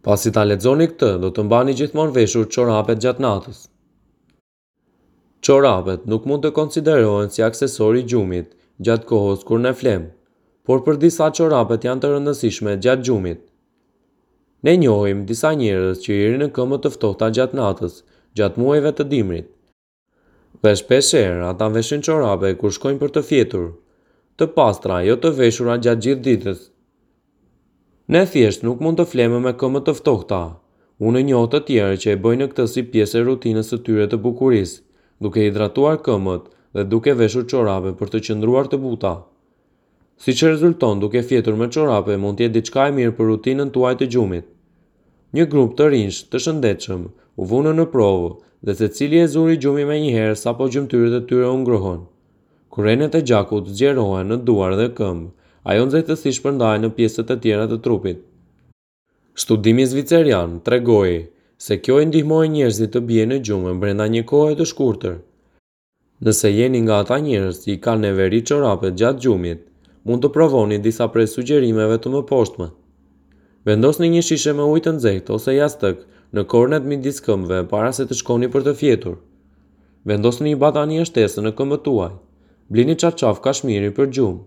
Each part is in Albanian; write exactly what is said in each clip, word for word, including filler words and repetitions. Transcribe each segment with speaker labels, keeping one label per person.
Speaker 1: Pasi ta lexoni këtë, do të mbani gjithmonë veshur çorapet gjatë natës. Çorapet nuk mund të konsiderohen si aksesor i gjumit gjatë kohës kur ne flemë, por për disa çorapet janë të rëndësishme gjatë gjumit. Ne njohim disa njerëz që i rrinë këmbët të ftohta gjatë natës, gjatë muajve të dimrit. Dhe shpeshherë ata veshin çorape kur shkojnë për të fjetur, të pastra, jo të veshura gjatë gjithë ditës. Ne thjesht nuk mund të flemë me këmbë të ftohta. Unë njoh të tjerë që e bëjnë këtë si pjesë e rutinës së tyre të bukurisë, duke hidratuar këmbët dhe duke veshur çorape për të qëndruar të buta. Siç rezulton, duke fjetur me çorape mund të jetë diçka e mirë për rutinën tuaj të gjumit. Një grup të rinjsh të shëndetshëm u vunë në provë dhe secili e zuri gjumin menjëherë sapo gjymtyrët e tyre u ngrohën. Kur enët e gjakut zgjerohen në duar dhe këmbë, ajo nxehtësi shpërndahet në pjesët e tjera të trupit. Studimi zvicerian tregoi se kjo i ndihmoi njerëzit të bien në gjumë brenda një kohe të shkurtër. Nëse jeni nga ata njerëz që i kanë neveri çorapet gjatë gjumit, mund të provoni disa prej sugjerimeve të mëposhtme. Vendosni një shishe me ujë të nxehtë ose jastëk në kornet midis këmbëve para se të shkoni për të fjetur. Vendosni një batanije shtesë në këmbët tuaj. Blini çarçaf kashmiri për gjumë.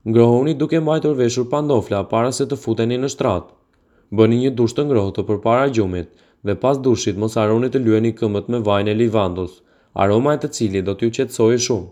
Speaker 1: Ngrohuni duke mbajtur veshur pantofla para se të futeni në shtrat. Bëni një dush të ngrohtë përpara gjumit dhe pas dushit mos harroni të lyeni këmbët me vajin e livandës, aroma e të cilit do t'ju qetësojë shumë.